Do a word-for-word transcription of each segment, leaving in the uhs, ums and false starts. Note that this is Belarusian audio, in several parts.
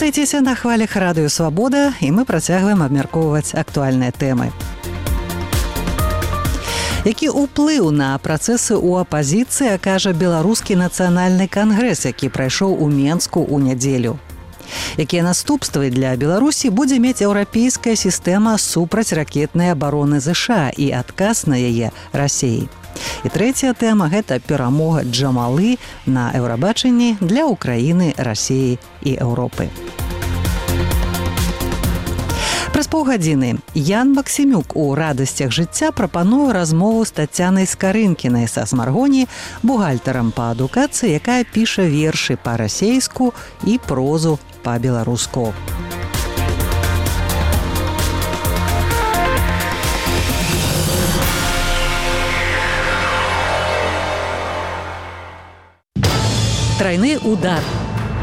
Застайцеся на хвалях Радыё Свабода, і мы працягваем абмяркоўваць актуальныя тэмы. Які ўплыў на працэсы ў апазіцыі акажа Беларускі нацыянальны кангрэс, які прайшоў у Менску ў нядзелю? Якія наступствы для Беларусі будзе мець еўрапейская сістэма супрацьракетнай абароны ЗША і адказ на яе Расіі? І трэцяя тэма – гэта перамога Джамалы на Еўрабачанні для Украіны, Расіі і Еўропы. Праз паўгадзіны Ян Максімюк у радасцях жыцця прапануе размову з Тацянай Скарынкінай са Смаргоні, бухгалтарам па адукацыі, якая піша вершы па-расейску і прозу па-беларуску. Трайны удар.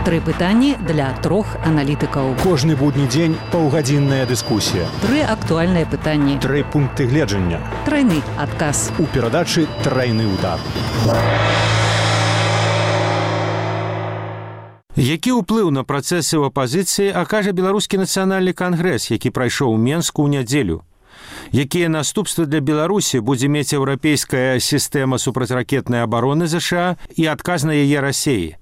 Тры пытанні для трох аналітыкаў. Кожны будні дзень паўгадзінная дыскусія. Тры актуальныя пытанні. Тры пункты гледжання. Трайны адказ. У перадачы «Трайны удар». Які ўплыў на працэсы ў апазіцыі акажа Беларускі нацыянальны кангрэс, які прайшоў у Менску ў нядзелю? Якія наступствы для Беларусі будзе мець еўрапейская сістэма супрацьракетнай абароны ЗША і адказ на яе Расіі?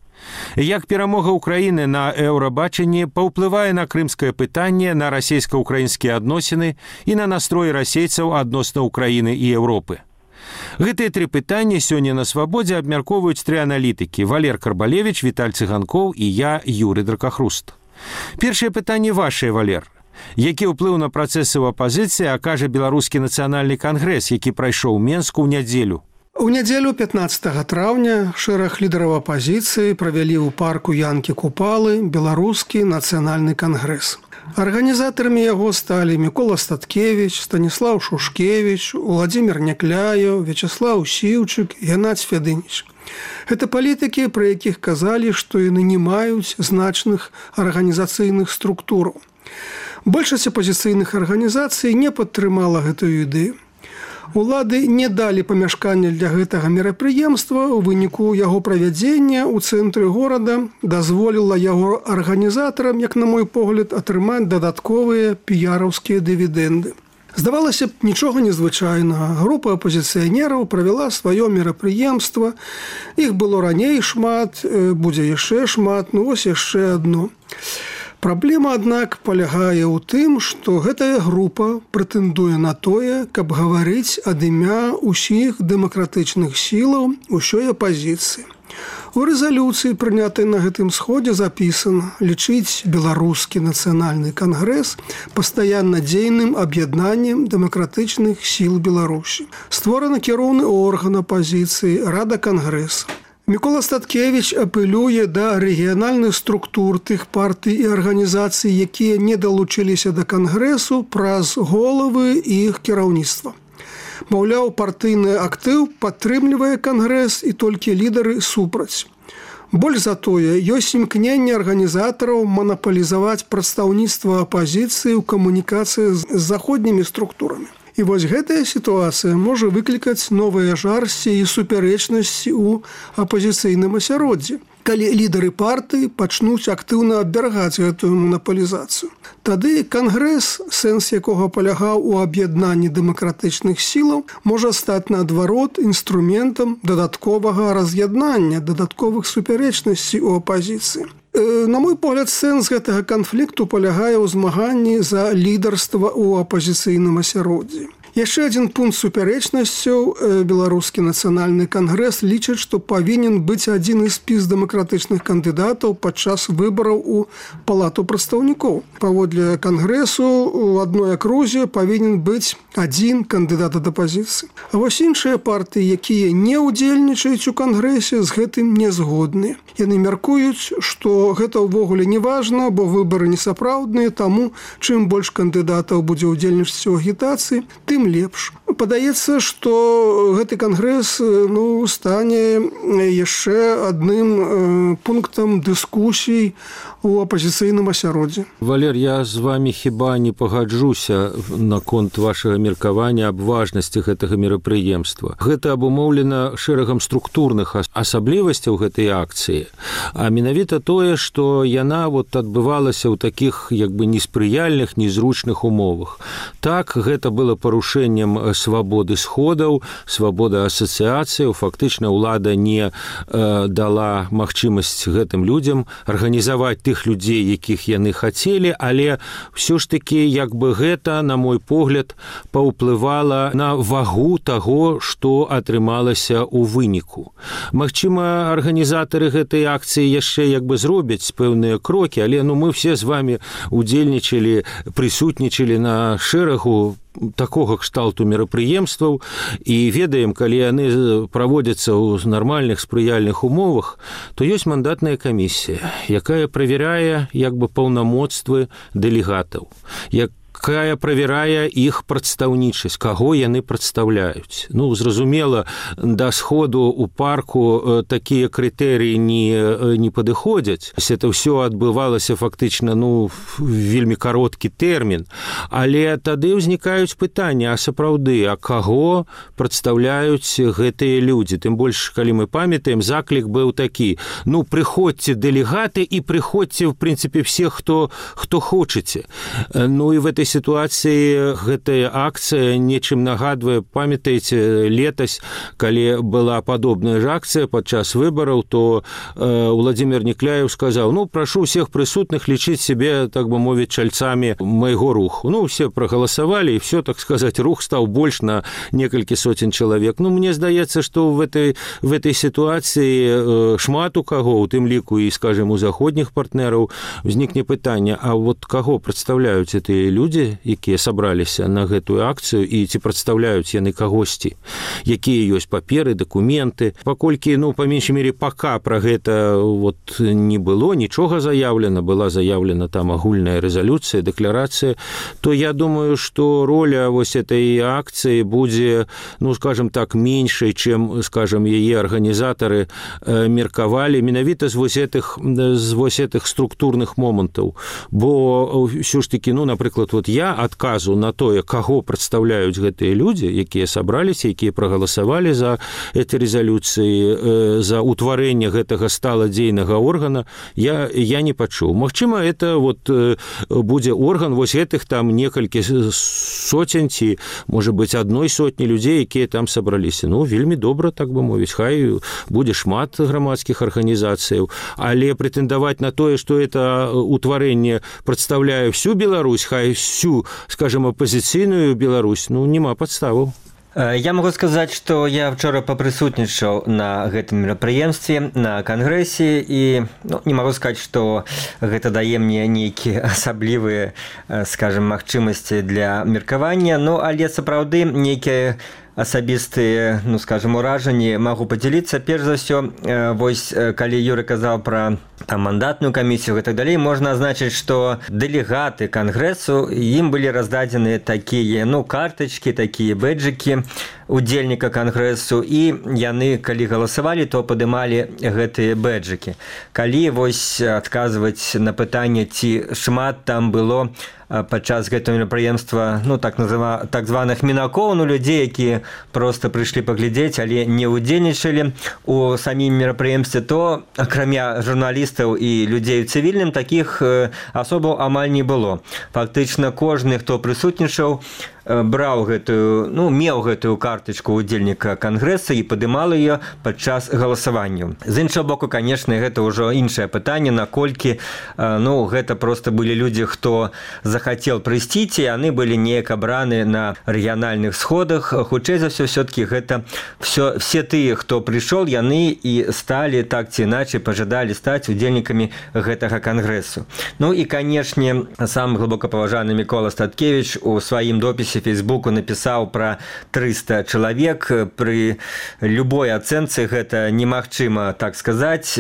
Як перамога Украіны на Еўрабачанні паўплывае на крымскае пытанне, на расійска-украінскія адносіны і на настроі расейцаў адносна Украіны і Еўропы? Гэтыя тры пытанні сёння на Свабодзе абмяркоўваюць тры аналітыкі – Валер Карбалевіч, Віталь Цыганкоў і я, Юрый Дракахруст. Першае пытанне вашае, Валер. Які ўплыў на працэсы ў апазіцыі акажа Беларускі нацыянальны кангрэс, які прайшоў у Менску ў нядзелю? У нядзелю пятнаццатага траўня шэраг лідараў апазіцыі правялі ў парку Янкі Купалы Беларускі нацыянальны кангрэс. Арганізатарамі яго сталі Мікола Статкевіч, Станіслаў Шушкевіч, Уладзімір Някляеў, Вячаслаў Сіўчык, Геннадзь Фядыніч. Гэта палітыкі, пра якіх казалі, што яны не маюць значных арганізацыйных структураў. Большасць апазіцыйных арганізацый не падтрымала гэтую ідэю. Улады не далі памяшкання для гэтага мерапрыемства, у выніку яго правядзення ў цэнтры горада дазволіла яго арганізатарам, як на мой погляд, атрымаць дадатковыя піяраўскія дывідэнды. Здавалася б, нічога незвычайнага. Група апазіцыянераў правяла сваё мерапрыемства. Іх было раней шмат, будзе яшчэ шмат, ну вось яшчэ адно. Праблема, аднак, палягае ў тым, што гэтая група прэтэндуе на тое, каб гаварыць ад імя ўсіх дэмакратычных сілаў усёй апазіцыі. У рэзалюцыі, прынятай на гэтым сходзе, запісана лічыць Беларускі нацыянальны кангрэс пастаянна дзейным аб'яднаннем дэмакратычных сіл Беларусі. Створаны кіроўны орган апазіцыі Рада кангрэса. Мікола Статкевіч апелюе да рэгіянальных структур тых партый і арганізацый, якія не далучыліся да кангрэсу праз головы і іх кіраўніцтва. Маўляў, партыйны актыў падтрымлівае кангрэс і толькі лідары супраць. Больш за тое, ёсць імкненне арганізатараў манапалізаваць прадстаўніцтва апазіцыі ў камунікацыі з заходнімі структурамі. І вось гэтая сітуацыя можа выклікаць новыя жарсці і супярэчнасці ў апазіцыйным асяроддзі, калі лідары партыі пачнуць актыўна абвяргаць гэтую манапалізацыю. Тады кангрэс, сэнс якога палягаў у аб'яднанні дэмакратычных сілаў, можа стаць наадварот інструментам дадатковага раз'яднання, дадатковых супярэчнасцей у апазіцыі. На мой погляд, сэнс гэтага канфлікту палягае ў змаганні за лідарства ў апазіцыйным асяроддзі. Яшчэ адзін пункт супярэчнасцяў. Беларускі нацыянальны кангрэс лічыць, што павінен быць адзін з спіс дэмакратычных кандыдатаў падчас выбараў у палату прадстаўнікоў. Паводле кангрэсу у адной акрузе павінен быць адзін кандыдат ад апазіцыі. А вось іншыя партыі, якія не ўдзельнічаюць у кангрэсе, з гэтым не згодныя. Яны мяркуюць, што гэта ўвогуле не важна, бо выбары несапраўдныя, таму чым больш кандыдатаў будзе ўдзельнічаць у агітацыі, тым лепш. Падаецца, што гэты кангрэс ну, стане яшчэ адным пунктам дыскусій у апазіцыйным асяроддзі. Валер, я з вами хіба не пагаджуся наконт вашага меркавання аб важнасці гэтага мерапрыемства. Гэта абумоўлена шэрагам структурных асаблівасцяў гэтай акцыі, а менавіта тое, што яна вот адбывалася ў такіх як бы неспрыяльных, незручных умовах. Так, гэта было парушэннем свабоды сходаў, свабода асацыяцыяў. Фактычна ўлада не э, дала магчымасць гэтым людзям арганізаваць тых людзей, якіх яны хацелі, але ўсё ж такі як бы гэта, на мой погляд, паўплывала на вагу таго, што атрымалася ў выніку. Магчыма, арганізатары гэтай акцыі яшчэ як бы зробяць пэўныя крокі, але ну мы все з вами удзельнічалі, прысутнічалі на шэрагу такога кшталту мерапрыемстваў і ведаем, калі яны праводзяцца ў нармальных спрыяльных умовах, то ёсць мандатная камісія, якая правярае як бы паўнамоцтвы дэлегатаў, якая правярае іх прадстаўнічасць, каго яны прадстаўляюць. Ну, зразумела, да сходу ў парку такія крытэрыі не, не падыходзяць. Это ўсё адбывалася фактычна ну, вельмі кароткі тэрмін. Але тады ўзнікаюць пытанні, а сапраўды, а каго прадстаўляюць гэтыя людзі? Тым больш, калі мы памятаем, заклік быў такі. Ну, прыходзьце дэлегаты і прыходзьце, в прынцыпе, все, хто, хто хочаце. Ну, і в этой сітуацыі гэтая акцыя нечым нагадвае, памятаеце, летась, калі была падобная ж акцыя падчас выбараў, то э, Владимир Некляев сказаў, ну, прашу всех прысутных лічыць себе, так бы мовіць, чальцамі майго руху. Ну, все прагаласавалі, і все, так сказать, рух стаў больш на некалькі соцень чалавек. Ну, мне здаецца, што в этой, в этой сітуацыі э, шмат у каго, у тым ліку і, скажем, у заходніх партнераў, узнікне пытанне, а вот каго прадстаўляюць гэтыя людзі, якія сабраліся на гэтую акцыю, і ці прадстаўляюць яны кагосьці, якія ёсць паперы, дакументы. Паколькі, ну, па меншай мере, пака пра гэта вот не было, нічога заяўлена, была заяўлена там агульная рэзалюцыя, дэкларацыя, то я думаю, што роля вось этой акцыі будзе, ну, скажем так, меншай, чым, скажем, яе арганізатары э, меркавалі менавіта з вось этих, з вось этих структурных момантаў. Бо ўсё ж такі, ну, напрыклад, вот я адказу на тое, каго прадстаўляюць гэтыя людзі, якія сабраліся, якія прагаласавалі за эти рэзалюцыі, э, за ўтварэнне гэтага сталадзейнага органа, я, я не пачуў. Магчыма, это вот э, будзе орган вось гэтых там некалькі соцень ці, можа быць, адной сотні людзей, якія там сабраліся. Ну, вельмі добра, так бы мовіць, хай будзе шмат грамадскіх арганізацыяў, але прэтэндаваць на тое, што это ўтварэнне прадстаўляе всю Беларусь, хай всю, скажем, апозіцыйную Беларусь, ну, няма падставаў. Я могу сказаць, што я вчора папрысутнічаў на гэтым мерапрыемстве, на кангрэсе, і ну, не магу сказаць, што гэта дае мне нейкія асаблівыя, скажем, магчымасці для меркавання, ну, але сапраўды нейкія асабістыя, ну, скажем, уражанні магу падзяліцца. Перш за ўсё, вось, калі Юрый казаў пра там мандатную камісію і так далей, можна азначыць, што дэлегаты кангрэсу, ім былі раздадзены такія, ну, картачкі, такія бэджыкі удзельніка кангрэсу, і яны, калі галасавалі, то падымалі гэтыя бэджыкі. Калі вось адказваць на пытанне, ці шмат там было падчас гэтага мерапрыемства, ну, так назва, так званых мінакоў, ну, людзей, якія проста прыйшлі паглядзець, але не ўдзельнічалі у самім мерапрыемстве, то акрамя журналістаў і людзей у цывільным, такіх асобаў амаль не было. Фактычна кожны, хто прысутнічаў, браў гэтую, ну, меў гэтую картачку удзельніка кангрэса і падымал яе падчас галасавання. З іншага боку, канешне, гэта ўжо іншае пытанне, наколькі, ну, гэта проста былі людзі, хто захацеў прыйсці, ці яны былі неяк абраны на рэгіянальных сходах. Хутчэй за ўсё, все-таки гэта все, все тыя, хто прыйшоў, яны і сталі так ці іначай, пажадалі стаць удзельнікамі гэтага кангрэсу. Ну і, канешне, сам глыбока паважаны Мікола Статкевіч у сваім допісе сторысе Фейсбуку напісаў пра трыста чалавек. Пры любой ацэнцы гэта немагчыма так сказаць.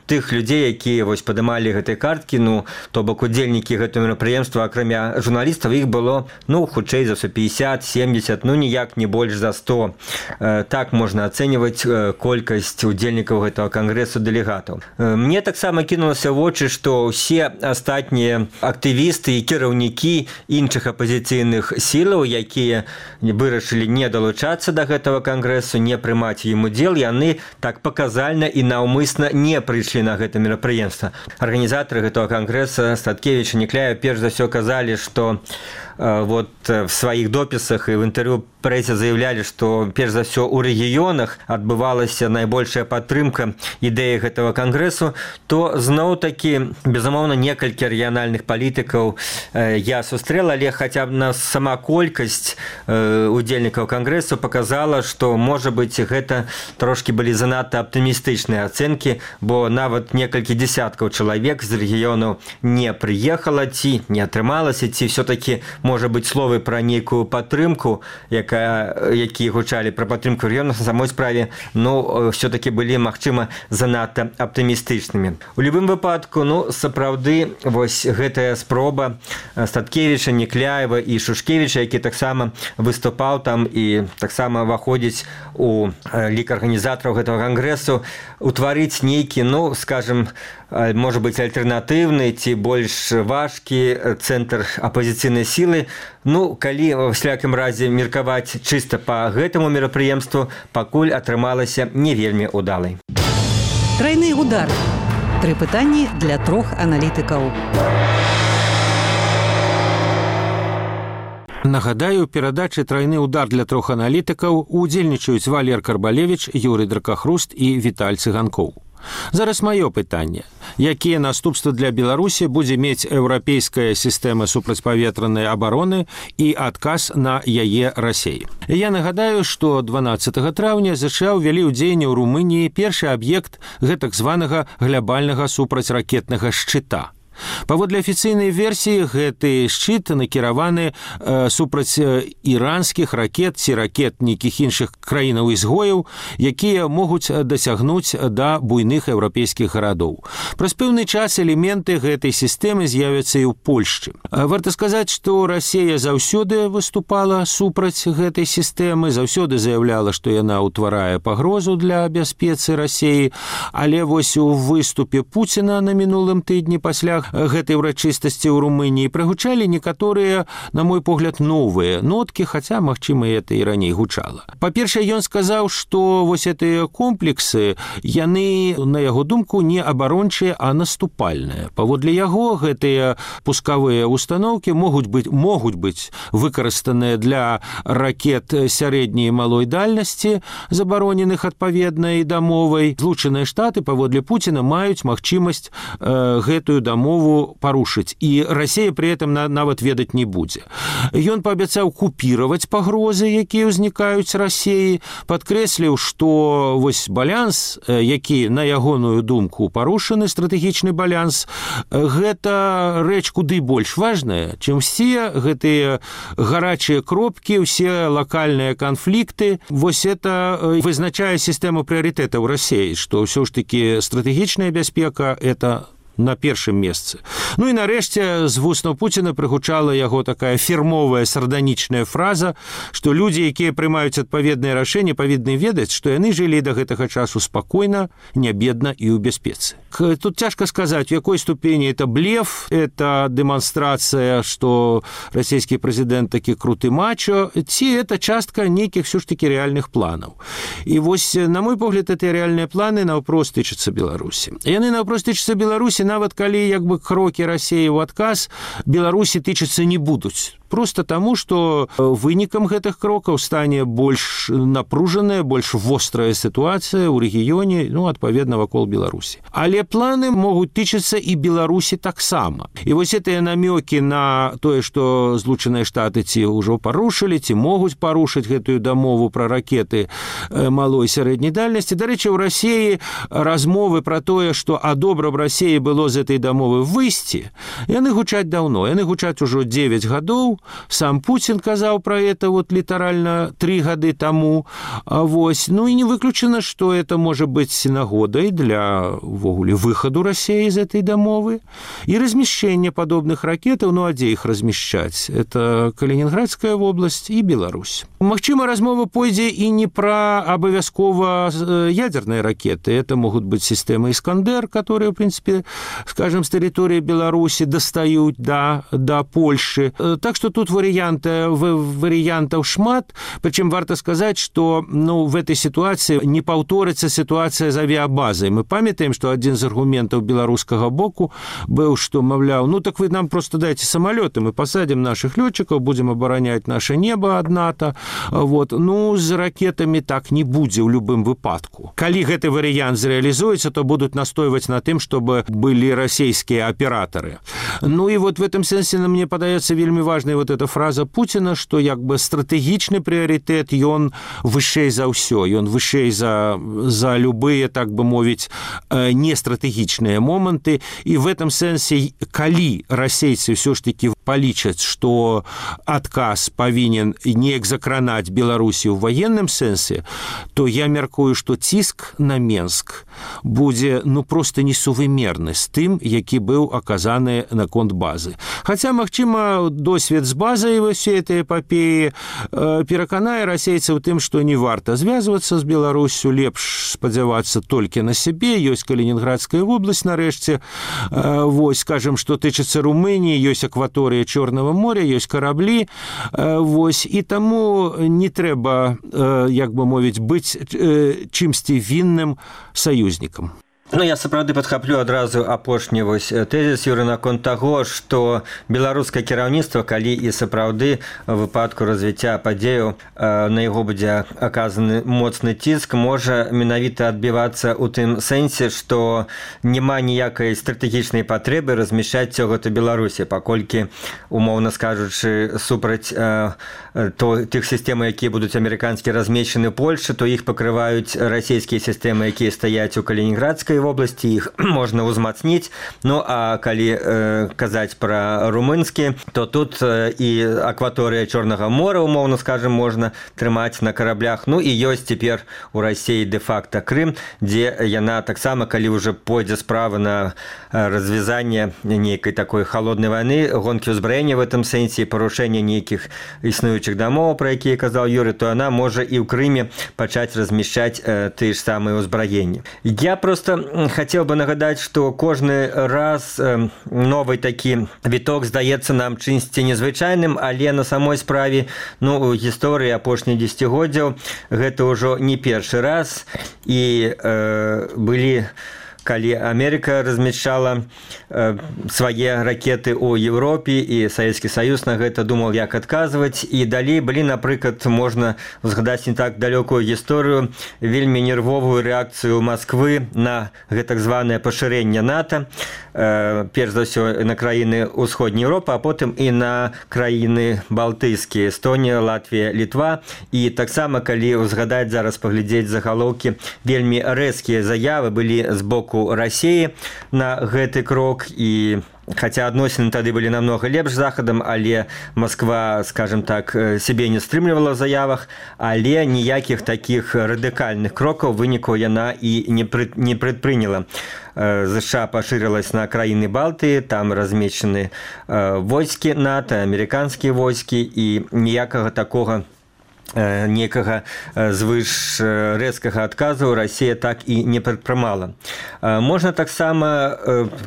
Тых людзей, якія вось падымалі гэтай карткі, ну, то бок удзельнікі гэтага мерапрыемства, акрамя журналістаў, іх было, ну, хутчэй за ўсё пятьдесят семьдесят, ну, ніяк не больш за сто. Так можна ацэньваць колькасць удзельнікаў гэтага кангрэсу дэлегатаў. Мне таксама кінулася в вочы, што ўсе астатнія актывісты і кіраўнікі іншых апазіцыйных сілаў, якія вырашылі не далучацца да гэтага кангрэсу, не прымаць ім удзел, яны так паказальна і наўмысна не прыйшлі на гэта мерапрыемства. Арганізатары гэтага кангрэса Статкевіч і Некляев перш за ўсё казалі, што вот в сваіх допісах і в інтэрв'ю прэсе заявлялі, што перш за ўсё ў рэгіёнах адбывалася найбольшая падтрымка ідэі гэтага кангрэсу, то зноў-такі, безумоўна, некалькі рэгіянальных палітыкаў я сустрэла, але хаця б на сама колькасць удзельнікаў кангрэсу паказала, што, можа быць, гэта трошкі былі занадта аптымістычныя ацэнкі, бо нават некалькі дзесяткаў чалавек з рэгіёнаў не прыехала, ці не атрымалася, ці ўсё-такі, можа быць, словы пра нейкую падтрымку, якая, якія гучалі пра падтрымку рэгіёнаў, на самой справе, ну, ўсё-такі былі, магчыма, занадта аптымістычнымі. У любым выпадку, ну, сапраўды, вось гэтая спроба Статкевіча, Некляева і Шушкевіча, які таксама выступаў там і таксама ўваходзіць у лік арганізатараў гэтага кангрэсу, утварыць нейкі, ну, скажем, можа быць, альтэрнатыўны ці больш важкі цэнтр апазіцыйнай сілы. Ну, калі ва ўсякім разе меркаваць чыста па гэтаму мерапрыемству, пакуль атрымалася не вельмі удалай. Трайны удар. Тры пытанні для трох аналітыкаў. Нагадаю, у перадачы «Трайны удар» для трох аналітыкаў удзельнічаюць Валер Карбалевіч, Юрый Дракахруст і Віталь Цыганкоў. Зараз маё пытанне. Якія наступствы для Беларусі будзе мець еўрапейская сістэма супрацьпаветранай абароны і адказ на яе Расеі? Я нагадаю, што дванаццатага траўня ЗША ўвялі ў дзеянне ў Румыніі першы аб'ект гэтак званага глябальнага супрацьракетнага шчыта. Паводле афіцыйнай версіі, гэты шчыт накіраваны э, супраць іранскіх ракет ці ракет нейкіх іншых краінаў-ізгояў, якія могуць дасягнуць да буйных еўрапейскіх гарадоў. Праз пэўны час элементы гэтай сістэмы з'явяцца і ў Польшчы. Варта сказаць, што Расія заўсёды выступала супраць гэтай сістэмы, заўсёды заяўляла, што яна ўтварае пагрозу для бяспецы Расіі, але вось у выступе Пуціна на мінулым тыдні пасля гэтай урачыстасці ў Румыніі прагучалі некаторыя, на мой погляд, новыя ноткі, хаця, магчыма, это і раней гучала. Па-першае, ён сказаў, што вось гэтыя комплексы, яны, на яго думку, не абарончыя, а наступальныя. Паводле яго, гэтыя пускавыя установкі могуць быць, могуць быць выкарыстаныя для ракет сярэдняй і малой дальнасці, забароненых адпаведна і дамовай. Злучаныя Штаты, паводле Пуціна, маюць магчымасць э, гэтую дамову парушыць, і Расія пры этом нават ведаць не будзе. Ён паабяцаў купіраваць пагрозы, якія ўзнікаюць Расіі, падкрэсліў, што вось баланс, які, на ягоную думку, парушаны, стратэгічны баланс, гэта рэч куды больш важная, чым все гэтыя гарачыя кропкі, усе лакальныя канфлікты. Вось это вызначае сістэму прыярытэтаў Расіі, што ўсё ж такі стратэгічная бяспека – это на першым месцы. Ну і нарэшце з вуснаў Пуціна прыгучала яго такая фірмовая сарданічная фраза, што людзі, якія прымаюць адпаведныя рашэнні, павінны ведаць, што яны жылі да гэтага часу спакойна, не бедна і ў бяспецы. Тут цяжка сказаць, у якой ступені это блеф, это дэманстрацыя, што расійскі прэзідэнт такі круты мачо, ці это частка нейкіх все ж таки рэальных планаў. І вось, на мой погляд, гэтыя рэальныя планы наўпрост тычацца Беларусі. Яны наўпрост тычацца Беларусі, нават калі як бы крокі Расіі ў адказ Беларусі тычацца не будуць. Просто таму, што вынікам гэтых крокаў стане больш напружаная, больш вострая сітуацыя ў рэгіёне, ну, адпаведна, вакол Беларусі. Але планы могуць тычацца і Беларусі таксама. І вось гэтыя намёкі на тое, што Злучаныя Штаты ці ўжо парушылі, ці могуць парушыць гэтую дамову пра ракеты малой сярэдняй дальнасці. Дарэчы, ў Расіі размовы пра тое, што а добра б Расіі было з гэтай дамовы выйсці, яны гучаць даўно. Яны гучаць ужо дзевяць гадоў. сам Путин казаў про это вот літаральна три гады тому. Вось. Ну и не выключено, что это может быть нагодай для ввогуле выходу России из этой дамовы и размещения подобных ракетаў. Ну а где их размещать? Это Калининградская область и Беларусь. Магчыма, размова пойдзе и не про обовязково ядерные ракеты. Это могут быть системы «Искандер», которые, в принципе, скажем, с территории Беларуси достают до, до Польши. Так что тут варианты, вариантов шмат. Причем варто сказать, что ну, в этой ситуации не повторится ситуация с авиабазой. Мы памятаем, что один из аргументов белорусского боку был, что, мовляв, ну так вы нам просто дайте самолеты, мы посадим наших летчиков, будем оборонять наше небо от НАТО. Вот. Ну, с ракетами так не будзе ў любым выпадку. Калі гэты вариант зреализуется, то будут настойваць на тым, чтобы были российские операторы. Ну и вот в этом смысле мне подается вельмі важная вот эта фраза Путина, что як бы стратегичный приоритет, ён вышэй за ўсё, ён вышэй за, за любые, так бы мовіць, нестратегичные моменты. И в этом смысле, калі расейцы все ж таки полічаць, что отказ повинен неяк закранаць Беларусію в военном сэнсе, то я мяркую, что ціск на Менск будзе ну просто несувымерны з тым, які быў аказаны наконт базы. Хаця, магчыма, досвед з базай всей этой эпопеі пераканае расейцаў тым, што не варта звязвацца з Беларусю, лепш спадзявацца толькі на сябе. Ёсць Калининградская область, нарэшце. Вось, скажем, што тычыцца Румыніі, ёсць акваторыя Чорнага моря, ёсць караблі. Вось, і таму не трэба, як бы мовіць, быць чымсьці вінным саюзнікам. Ну, я сапраўды падхаплю адразу апошні вось тэзіс, Юры, наконт таго, што беларускае кіраўніцтва, калі і сапраўды в выпадку развіцця падзеяў на яго будзе аказаны моцны ціск, можа менавіта адбівацца ў тым сэнсе, што няма ніякай стратэгічнай патрэбы размяшчаць усё гэта Беларусі, паколькі, умоўна скажучы, супраць то тых сістэм, якія будуць амерыканскі размешчаны ў Польшчы, то іх пакрываюць расійскія сістэмы, якія стаяць у Калининградскай в области, их можно узмацнить. Ну, а калі э, казаць про румынские, то тут э, и акватория Черного моря, умовно скажем, можно трымаць на кораблях. Ну, и ёсць цяпер у России де-факто Крым, где яна таксама, калі уже пойдзе справа на развязание нейкай такой холодной войны, гонки ўзбраення в этом сенсе, парушение нейкіх існуючых дамоў, про якія казаў Юрий, то она можа и ў Крыме пачаць размещать э, тыя ж самыя ўзбраенні. Я просто хотел бы нагадать, что кожны раз э, новый такі віток здаецца нам чымсьці незвычайным, але на самой справе, ну, у гісторыі апошніх дзесяцігоддзяў гэта ўжо не першы раз, і э, былі калі Америка размещала э, свае ракеты ў Европе, і Савецкі Саюз на гэта думал, як адказваць. І далей былі, напрыклад, можна згадаць не так далёкую гісторыю, вельмі нервовую рэакцыю Москвы на гэтак званае пашырэнне НАТО, э, перш за ўсё на краіны ўсходняй Европы, а потым і на краіны балтыйскія, Эстонія, Латвія, Літва. І таксама, калі узгадаць зараз, паглядзець загалоўкі, вельмі рэзкія заявы былі з боку России на гэты крок, і хотя адносіны тады былі намного лепш захадам, але Москва, скажем так, себе не стрымлівала в заявах, але ніякіх таких радыкальных крокаў выніку яна і не, пры, не прадпрыняла. США пашырылась на краіны Балтыі, там размешчаны войскі НАТО, амерыканскія войскі, і ніякага такога некага звыш рэзкага адказу Расія так і не прадпрымала. Можна таксама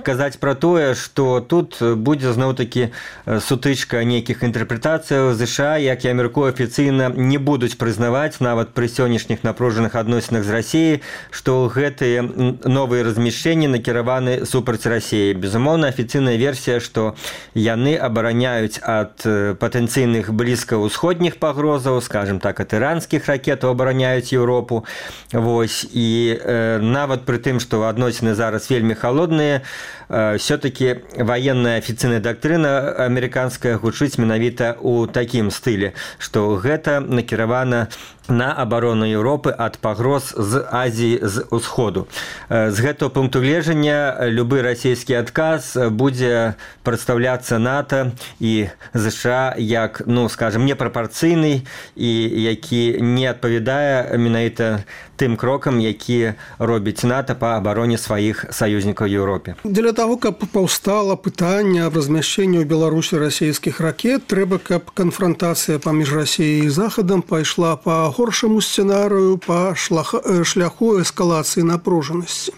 казаць пра тое, што тут будзе зноў-такі сутычка нейкіх інтэрпрэтацыяў. ЗША, як я мяркую, афіцыйна не будуць прызнаваць нават пры сённяшніх напружаных адносінах з Расіяй, што гэтыя новыя размяшчэнні накіраваны супраць Расіі. Безумоўна, афіцыйная версія, што яны абараняюць ад патэнцыйных блізкаўсходніх пагрозаў, скажем, скажем так, ад іранскіх ракетаў абараняюць Еўропу. Вось. І э, нават пры тым, што адносіны зараз вельмі халодныя, э, все-таки военная афіцыйная дактрына амерыканская гучыць менавіта ў такім стылі, што гэта накіравана на абарону Еўропы ад пагроз з Азіі з усходу. З гэтага пункту гледжання любы расійскі адказ будзе прадстаўляцца НАТО і ЗША як, ну, скажем, непрапорцыйны і які не адпавядае менавіта тым крокам, які робіць НАТО па абароне сваіх саюзнікаў Еўропе. Для таго, каб паўстала пытанне аб размяшчэнні ў Беларусі расійскіх ракет, трэба, каб канфрантацыя паміж Расіяй і Захадам пайшла па горшаму сцэнарыю, па шляху эскалацыі напружанасці.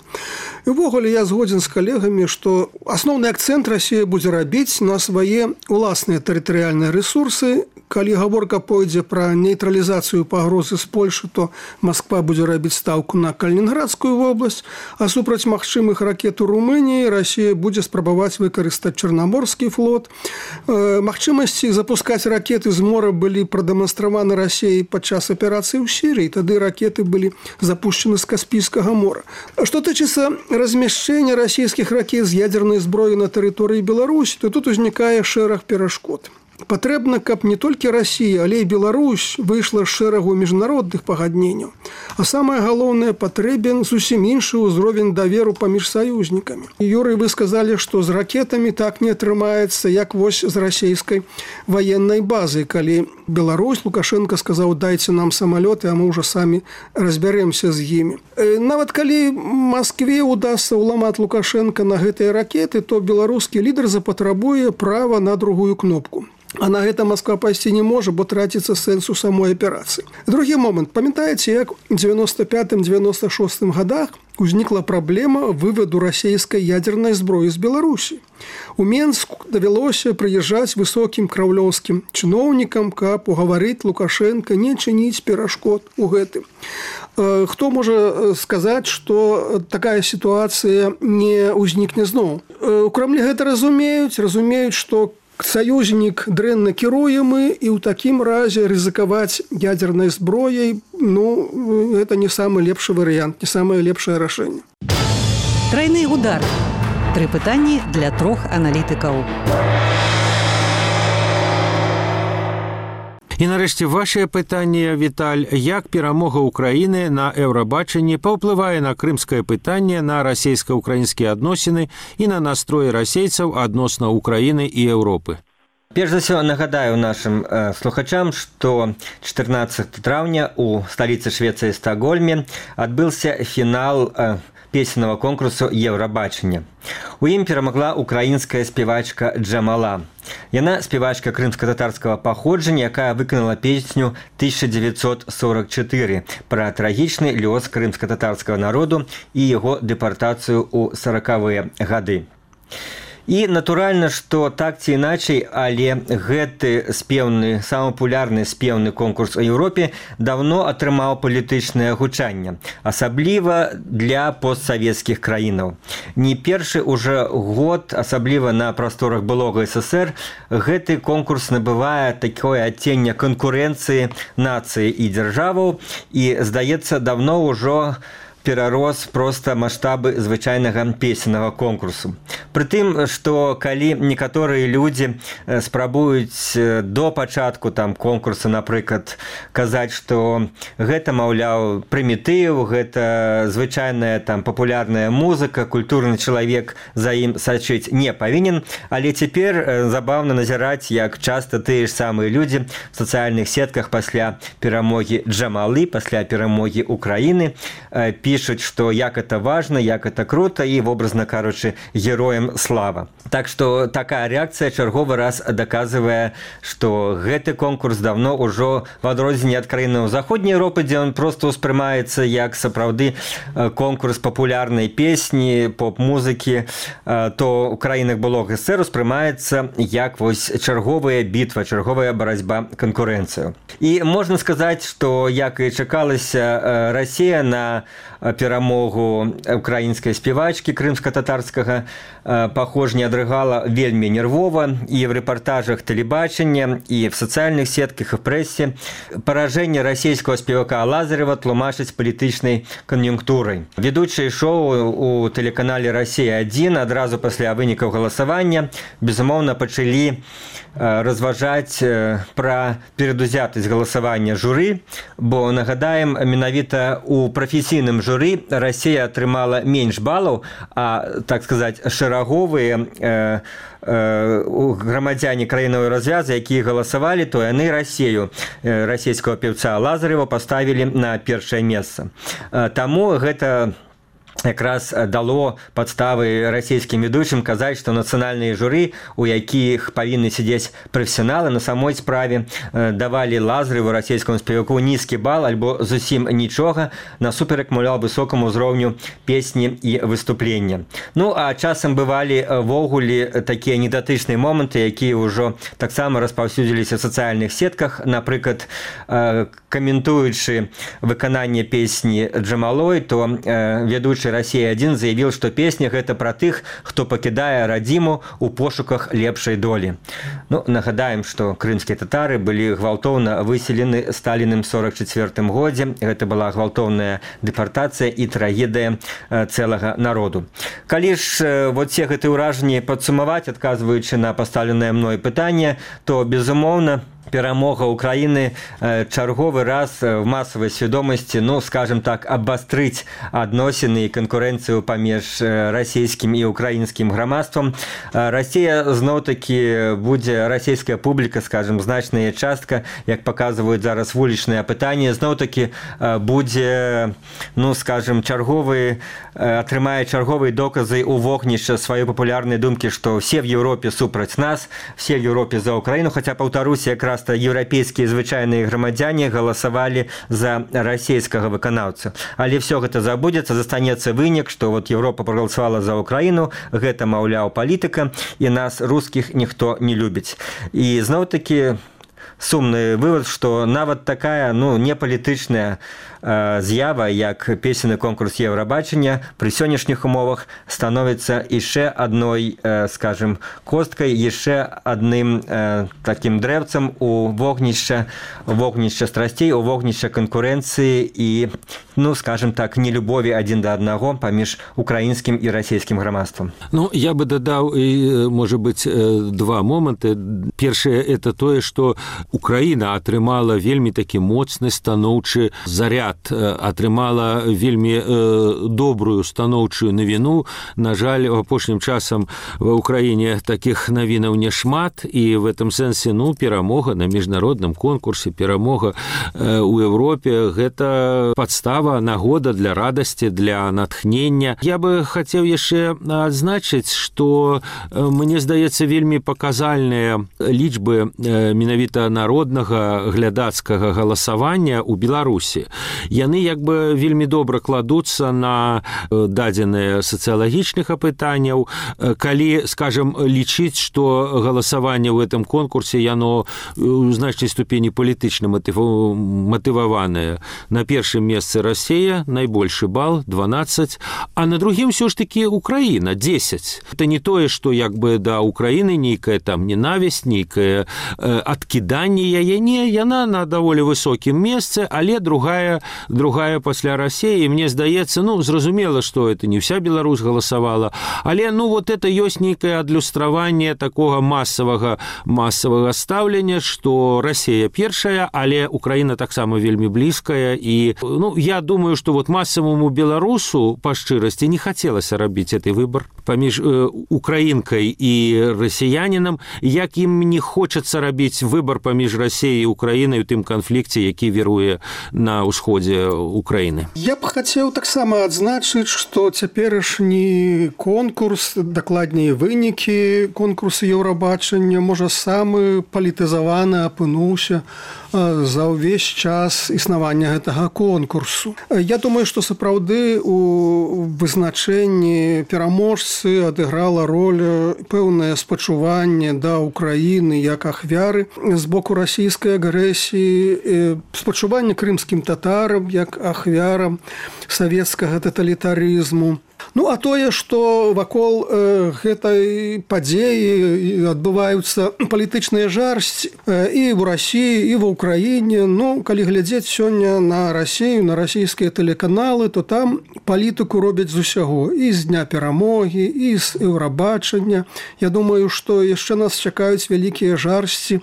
І ўвогуле я згодзін з калегамі, што асноўны акцэнт Расія будзе рабіць на свае ўласныя тэрытарыяльныя рэсурсы. Калі гаворка пойдзе пра нейтралізацыю пагрозы з Польшы, то Масква будзе рабіць стаўку на Калінінградскую вобласць, а супраць магчымых ракет у Румыніі Расія будзе спрабаваць выкарыстаць Чарнаморскі флот. Магчымасці запускаць ракеты з мора былі прадэманстраваны Расіяй падчас аперацыі ў Сірыі, тады ракеты былі запущены з Каспійскага мора. Што тычыцца размяшчэння расійскіх ракет з ядзернай зброі на тэрыторыі Беларусі, то тут узнікае шэраг перашкод. Патрэбна, каб не толькі Расія, але і Беларусь выйшла з шэрагу міжнародных пагадненняў. А самае галоўнае, патрэбен зусім іншы ўзровень даверу паміж саюзнікамі. Юрый, вы сказалі, што з ракетамі так не атрымаецца, як вось з расійскай ваеннай базы. Калі Беларусь, Лукашенко сказаў, дайце нам самалёты, а мы ўжо самі разбярэмся з імі. Нават калі Маскве удасся ўламаць Лукашенко на гэтыя ракеты, то беларускі лідар запатрабуе права на другую кнопку. А на гэта Масква пайсці не можа, бо траціцца сэнс у самой аперацыі. Другі момант. Памятаеце, як у дзевяноста пятым - дзевяноста шостым гадах узнікла праблема вываду расійскай ядзернай зброі з Беларусі. У Менск давялося прыязджаць высокім краўлёўскім чыноўнікам, каб угаварыць Лукашенка не чыніць перашкод у гэтым. Хто можа сказаць, што такая сітуацыя не ўзнікне зноў? У Крамлі гэта разумеюць, разумеюць, што саюзнік дрэнна кіруемы, і ў такім разе рызыкаваць ядзернай зброяй, ну, гэта не самы лепшы варыянт, не самае лепшае рашэнне. Трайны удар. Тры пытанні для трох аналітыкаў. І нарэшце вашае пытанне, Віталь, як перамога Украіны на Еўрабачанні паўплывае на крымскае пытанне, на расійска-украінскія адносіны і на настроі расейцаў адносна Украіны і Еўропы? Перш за ўсё нагадаю нашым э, слухачам, што чатырнаццатага траўня у сталіцы Швецыі Стакгольме адбыўся фінал э, песеннага конкурсу Еўрабачання. У ім перамагла украінская спявачка Джамала. Яна спявачка крымска-татарскага паходжання, якая выканала песню тысяча девятьсот сорок четыре пра трагічны лёс крымска-татарскага народу і яго дэпартацыю ў саракавыя гады. І натуральна, што так ці іначай, але гэты спеўны, самы папулярны спеўны конкурс у Еўропе давно атрымаў палітычнае гучанне, асабліва для постсавецкіх краінаў. Не першы ўжо год, асабліва на прасторах былога СССР, гэты конкурс набывае такое адценне канкурэнцыі нацыі і дзяржаваў, і, здаецца, давно ўжо перарос проста маштабы звычайнага песеннага конкурсу. Прытым, што калі некаторыя людзі спрабуюць до пачатку там конкурса, напрыклад, казаць, што гэта, маўляў, прымітыў, гэта звычайная там папулярная музыка, культурны чалавек за ім сачыць не павінен, але цяпер забаўна назіраць, як часта тыя ж самыя людзі в сацыяльных сетках пасля перамогі Джамалы, пасля перамогі Украіны пішуць, пишут, что як это важно, як это круто, и, образно кажучи, героям слава. Так что такая реакция чарговы раз доказывае, что гэты конкурс давно ўжо в адрозненне ад краінаў Заходняй Европы, дзе он просто успрымаецца як сапраўды конкурс папулярнай песні, поп-музыкі, то ў краінах былога СССР успрымаецца як вось чарговая бітва, чарговая барацьба, канкурэнцыю. І можна сказаць, што як і чакалася, Расія на перамогу украінскай спявачкі крымска-татарскага паходжання адрыгала вельмі нервова і в рэпартажах тэлебачання, і в сацыяльных сетках і в прэсе. Паражэнне расійскага спевака Лазарева тлумачыць палітычнай кан'юнктурай. Ведучыя шоу у тэлеканале «Россия один» адразу пасля вынікаў галасавання безумоўна пачалі разважаць пра перадузятасць галасавання журы, бо, нагадаем, менавіта у прафесійным журы Расія атрымала менш балаў, а, так сказаць, шэраговыя э, э, грамадзяне краінавай развязы, якія галасавалі, то яны Расію, э, расійскага певца Лазарева паставілі на першае месца. Э, таму гэта якраз дало падставы расійскім ведучым казаць, што нацыянальныя журы, у якіх павінны сядзець прафесіяналы, на самой справе давалі Лазареву, расійскаму спеваку, нізкі бал альбо зусім нічога, насуперак, маўляў, высокаму ўзроўню песні і выступлення. Ну, а часам бывалі ввогуле такія недатычныя моманты, якія ўжо таксама распаўсюдзіліся в сацыяльных сетках. Напрыклад, каментуючы выкананне песні Джамалой, то ведучы «Россия один» заявил, что песня гэта пра тых, хто пакідае радзіму у пошуках лепшай долі. Ну, нагадаем, што крымскія татары былі гвалтоўна выселены Сталіным сорок чацвёртым годзе. Гэта была гвалтоўная дэпартацыя і трагедыя цэлага народу. Калі ж вот все гэтыя ўражанні падсумаваць, адказваючы на пастаўленае мной пытанне, то, безумоўна, перамога Украины чарговы раз в массовой свядомасці, ну, скажем так, абастрыць адносіны і канкурэнцыю паміж расійскім і украінскім грамадствам. Расія зноў-такі будзе, расійская публіка, скажем, значная частка, як паказваюць зараз вулічныя апытанні, зноў-такі будзе, ну, скажем, чарговы, атрымае чарговыя доказы у вогнішча сваёй папулярнай думкі, што все в Европе супраць нас, все в Европе за Украіну, хаця, паўтаруся, якраз еўрапейскія звычайныя грамадзяне галасавалі за расійскага выканаўцу. Але все гэта забудзецца, застанецца вынік, што вот Европа прагаласавала за Украіну, гэта, маўляў, палітыка, і нас, рускіх, ніхто не любіць. І зноў-такі сумны вывод, што нават такая, ну, непалітычная э, з'ява, як песенны конкурс Еўрабачання, пры сённяшніх умовах становіцца яшчэ адной, э, скажем, косткай, яшчэ адным э, такім дрэвцам у вогнішча, вогнішча страсцей, у вогнішча канкурэнцыі і, ну, скажем так, нелюбові адзін да аднаго паміж украінскім і расійскім грамадствам. Ну, я бы дадаў, можа быць, два моманты. Першае, это тое, што Украіна атрымала вельмі такі моцны станоўчы заряд, атрымала вельмі э, добрую станоўчую навіну. На жаль, апошнім часам ва Украіне такіх навінаў няшмат, і в этом сэнсе, ну, перамога на міжнародным конкурсе, перамога э, у Европе, гэта падстава, нагода для радасці, для натхнення. Я бы хацеў яшчэ адзначыць, што э, мне здаецца вельмі паказальныя лічбы э, менавіта народнага глядацкага галасавання ў Беларусі. Яны як бы вельмі добра кладуцца на дадзеныя сацыялагічных апытанняў. Калі, скажем, лічыць, што галасаванне ў гэтым конкурсе яно у значнай ступені палітычна матываванае. На першым месцы Расія, найбольшы бал, дванаццаць, а на другім ўсё ж такі Украіна, дзесяць. Это не тое, што як бы да Украіны нейкая там ненавісць, нейкае э, адкіданне яе, не, яна на даволі высокім месцы, але другая, другая пасля Расіі. І мне здаецца, ну, зразумела, што это не вся Беларусь галасавала, але, ну, вот это ёсць нейкае адлюстраванне такога масавага, масавага стаўлення, што Расія першая, але Украіна таксама вельмі блізкая. І, ну, я думаю, што вот масаваму беларусу, па шчырасці, не хацелася рабіць гэты выбар паміж э, украінкай і расіянінам, як ім не хочацца рабіць выбар паміж Расіяй і Украінай у тым канфлікце, які віруе на ўсходзе Украіны. Я б хацеў таксама адзначыць, што цяперашні конкурс, дакладней вынікі конкурсу Еўрабачання, можа, самы палітызаваны апынуўся за ўвесь час існавання гэтага конкурсу. Я думаю, што сапраўды у вызначэнні пераможцы адыграла роль пэўнае спачуванне да Украіны як ахвяры збору боку расійскай агрэсіі, спачуванне крымскім татарам як ахвярам савецкага таталітарызму. Ну, а тое, што вакол э, гэтай падзеі адбываюцца палітычныя жарсці э, і ў Расіі, і ва ўкраіне. Ну, калі глядзець сёння на Расію, на расійскія тэлеканалы, то там палітыку робяць з усяго. І з дня перамогі, і з еўрабачання. Я думаю, што яшчэ нас чакаюць вялікія жарсці э,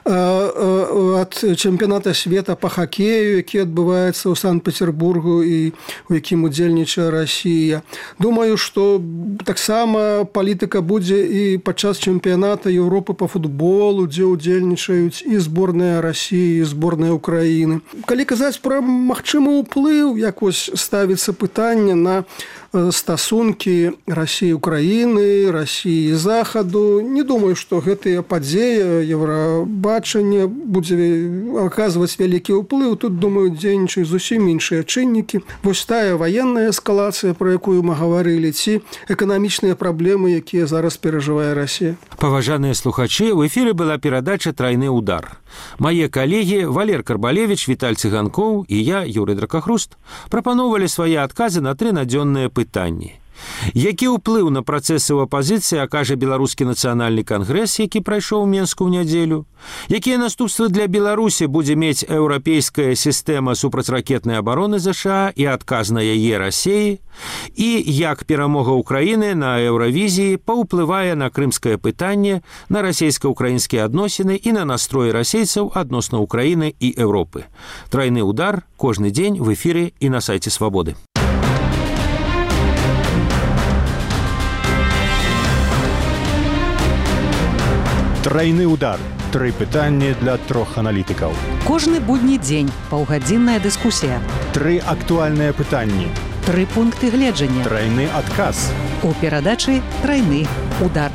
э, ад чэмпіяната света па хакею, які адбываецца ў Санкт-Петербургу і у якім удзельнічае Расія. Думаю, што таксама палітыка будзе і падчас чэмпіяната Еўропы па футболу, дзе ўдзельнічаюць і зборная Расіі, і зборная Украіны. Калі казаць пра магчымы ўплыў, як вось ставіцца пытанне на стасункі Расіі Украіны, Расіі Захаду, не думаю, што гэтыя падзеі еўрабачання будзе аказваць вялікі ўплыў. Тут, думаю, дзейнічаюць зусім іншыя чыннікі. Вось тая ваенная эскалацыя, про якую мы гаварылі, ці эканамічныя праблемы, якія зараз перажывае Расія. Паважаныя слухачы, в эфіры была перадача «Трайны удар». Мае калегі Валер Карбалевич, Віталь Цыганкоў і я, Юрый Дракахруст, прапаноўвалі свае адказы на тры надзённыя пытанні. Які ўплыў на працэсы ў апазіцыі акажа беларускі нацыянальны кангрэс, які прайшоў у Менску ў нядзелю? Якія наступствы для Беларусі будзе мець еўрапейская сістэма супрацьракетнай абароны ЗША і адказ на яе Расіі? І як перамога Украіны на Еўравізіі паўплывае на крымскае пытанне, на расійска-украінскія адносіны і на настроі расейцаў адносна Украіны і Еўропы? Трайны удар кожны дзень в эфіры і на сайце Свабоды. Трайны удар. Тры пытанні для трох аналітыкаў. Кожны будні дзень паўгадзінная дыскусія. Тры актуальныя пытанні. Тры пункты гледжання. Трайны адказ. У перадачы «Трайны удар».